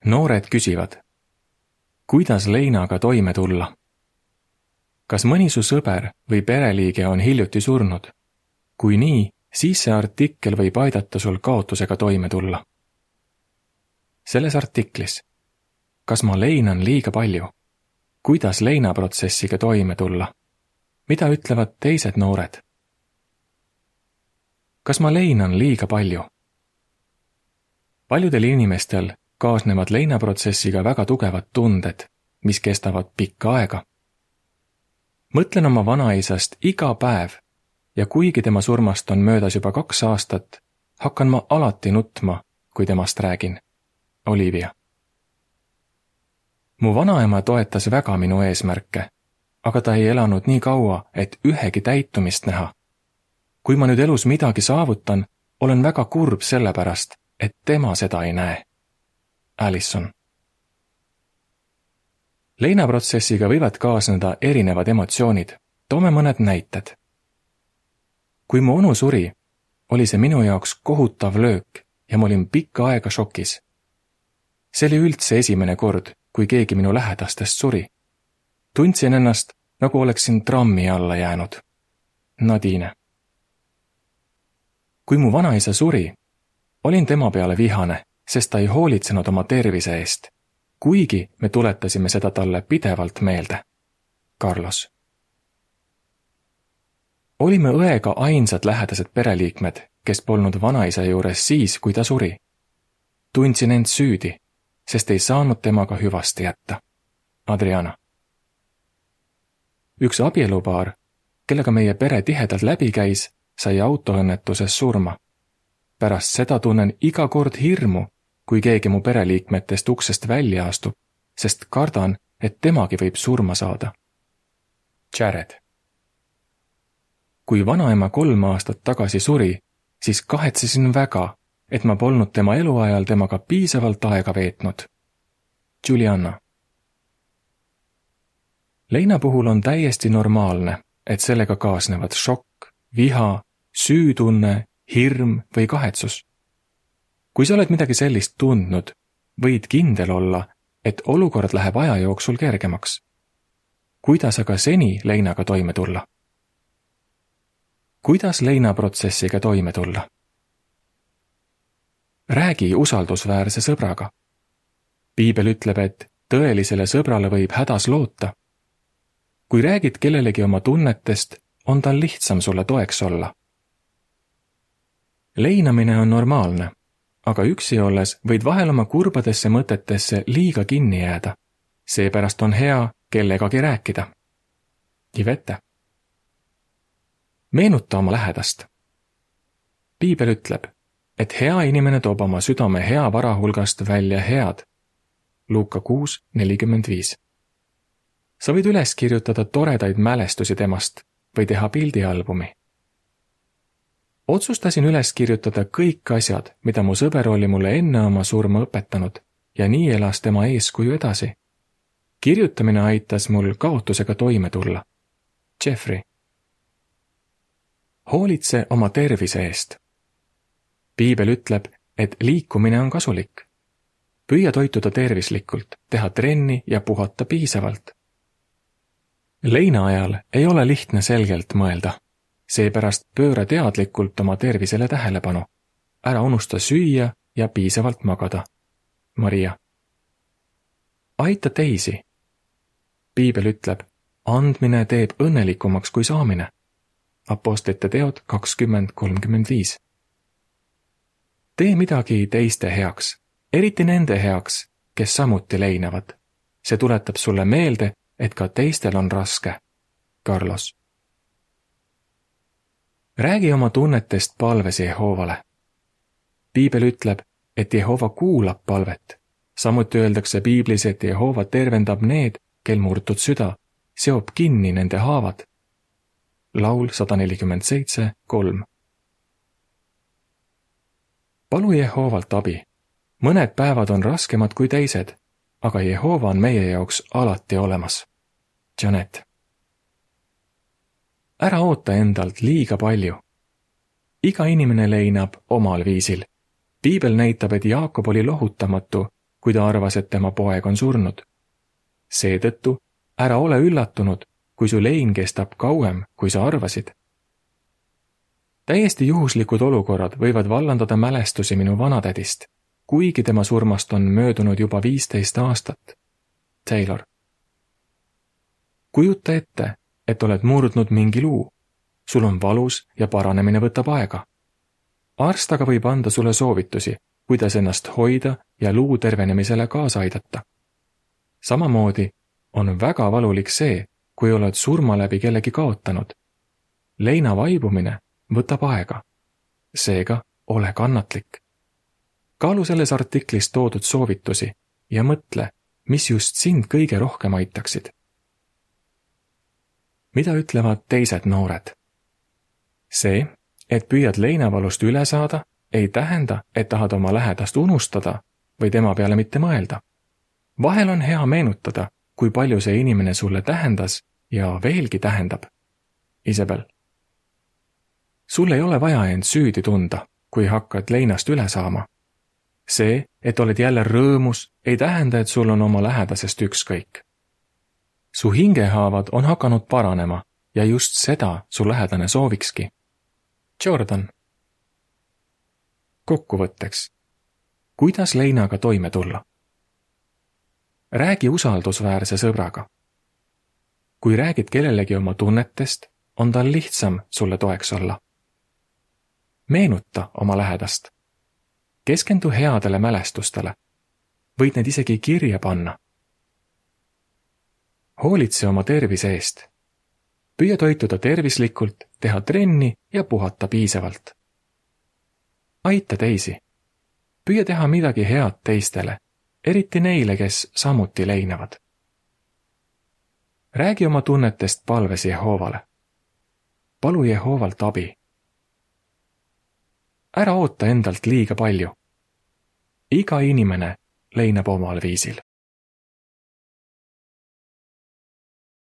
Noored küsivad, kuidas leinaga toime tulla? Kas mõni su sõber või pereliige on hiljuti surnud? Kui nii, siis see artikkel võib aidata sul kaotusega toime tulla. Selles artiklis, kas ma leinan liiga palju? Kuidas leinaprotsessiga toime tulla? Mida ütlevad teised noored? Kas ma leinan liiga palju? Paljudel inimestel kaasnevad leinaprotsessiga väga tugevad tunded, mis kestavad pikka aega. Mõtlen oma vanaisast iga päev ja kuigi tema surmast on möödas juba 2 aastat, hakkan ma alati nutma, kui temast räägin. Olivia. Mu vanaema toetas väga minu eesmärke, aga ta ei elanud nii kaua, et ühegi täitumist näha. Kui ma nüüd elus midagi saavutan, olen väga kurb sellepärast, et tema seda ei näe. Alison. Leinaprotsessiga võivad kaasneda erinevad emotsioonid. Toome mõned näited. Kui mu onu suri, oli see minu jaoks kohutav löök ja ma olin pikka aega šokis. See oli üldse esimene kord, kui keegi minu lähedastest suri. Tundsin ennast, nagu oleksin trammi alla jäänud. Nadine. Kui mu vanaisa suri, olin tema peale vihane, sest ta ei hoolitsenud oma tervise eest, kuigi me tuletasime seda talle pidevalt meelde. Carlos. Olime õega ainsad lähedased pereliikmed, kes polnud vanaisa juures siis, kui ta suri. Tundsin end süüdi, sest ei saanud temaga hüvasti jätta. Adriana. Üks abielupaar, kellega meie pere tihedalt läbi käis, sai autoõnnetuses surma. Pärast seda tunnen iga kord hirmu, kui keegi mu pereliikmetest uksest välja astub, sest kardan, et temagi võib surma saada. Jared. Kui vanaema 3 aastat tagasi suri, siis kahetsesin väga, et ma polnud tema eluajal temaga piisavalt aega veetnud. Juliana. Leina puhul on täiesti normaalne, et sellega kaasnevad šokk, viha, süütunne, hirm või kahetsus. Kui sa oled midagi sellist tundnud, võid kindel olla, et olukord läheb aja jooksul kergemaks. Kuidas aga seni leinaga toime tulla? Kuidas leinaprotsessiga toime tulla? Räägi usaldusväärse sõbraga. Piibel ütleb, et tõelisele sõbrale võib hädas loota. Kui räägid kellelegi oma tunnetest, on tal lihtsam sulle toeks olla. Leinamine on normaalne, aga üksi olles võid vahel oma kurbadesse mõtetesse liiga kinni jääda. Seepärast on hea kellegagi rääkida. Ivette. Meenuta oma lähedast. Piibel ütleb, et hea inimene toob oma südame hea vara hulgast välja head. Luuka 6:45. Sa võid üles kirjutada toredaid mälestusi temast või teha pildialbumi. Otsustasin üles kirjutada kõik asjad, mida mu sõber oli mulle enne oma surma õpetanud ja nii elas tema eeskuju edasi. Kirjutamine aitas mul kaotusega toime tulla. Jeffrey. Hoolitse oma tervise eest. Piibel ütleb, et liikumine on kasulik. Püüa toituda tervislikult, teha trenni ja puhata piisavalt. Leina ajal ei ole lihtne selgelt mõelda. Seepärast pööra teadlikult oma tervisele tähelepanu. Ära unusta süüa ja piisavalt magada. Maria. Aita teisi. Piibel ütleb, andmine teeb õnnelikumaks kui saamine. Apostlite teod 20:35. Tee midagi teiste heaks, eriti nende heaks, kes samuti leinavad. See tuletab sulle meelde, et ka teistel on raske. Carlos. Räägi oma tunnetest palves Jehoovale. Piibel ütleb, et Jehova kuulab palvet. Samuti öeldakse Piiblis, et Jehova tervendab need, kel murtud süda, seob kinni nende haavad. Laul 147:3. Palu Jehoovalt abi. Mõned päevad on raskemad kui teised, aga Jehova on meie jaoks alati olemas. Janet. Ära oota endalt liiga palju. Iga inimene leinab omal viisil. Piibel näitab, et Jaakob oli lohutamatu, kui ta arvas, et tema poeg on surnud. Seetõttu ära ole üllatunud, kui su lein kestab kauem, kui sa arvasid. Täiesti juhuslikud olukorrad võivad vallandada mälestusi minu vanatädist, kuigi tema surmast on möödunud juba 15 aastat. Taylor. Kujuta ette, et oled murdnud mingi luu. Sul on valus ja paranemine võtab aega. Arst aga võib anda sulle soovitusi, kuidas ennast hoida ja luu tervenemisele kaasa aidata. Samamoodi on väga valulik see, kui oled surma läbi kellegi kaotanud. Leina vaibumine võtab aega. Seega ole kannatlik. Kaalu selles artiklis toodud soovitusi ja mõtle, mis just sind kõige rohkem aitaksid. Mida ütlevad teised noored? See, et püüad leinavalust üle saada, ei tähenda, et tahad oma lähedast unustada või tema peale mitte mõelda. Vahel on hea meenutada, kui palju see inimene sulle tähendas ja veelgi tähendab. Isabel. Sul ei ole vaja end süüdi tunda, kui hakkad leinast üle saama. See, et oled jälle rõõmus, ei tähenda, et sul on oma lähedasest ükskõik. Su hingehaavad on hakanud paranema ja just seda su lähedane soovikski. Jordan. Kokkuvõtteks. Kuidas leinaga toime tulla? Räägi usaldusväärse sõbraga. Kui räägid kellelegi oma tunnetest, on tal lihtsam sulle toeks olla. Meenuta oma lähedast. Keskendu headele mälestustele. Võid need isegi kirja panna. Hoolitse oma tervise eest. Püüa toituda tervislikult, teha trenni ja puhata piisavalt. Aita teisi. Püüa teha midagi head teistele, eriti neile, kes samuti leinavad. Räägi oma tunnetest palves Jehoovale. Palu Jehoovalt abi. Ära oota endalt liiga palju. Iga inimene leinab omal viisil.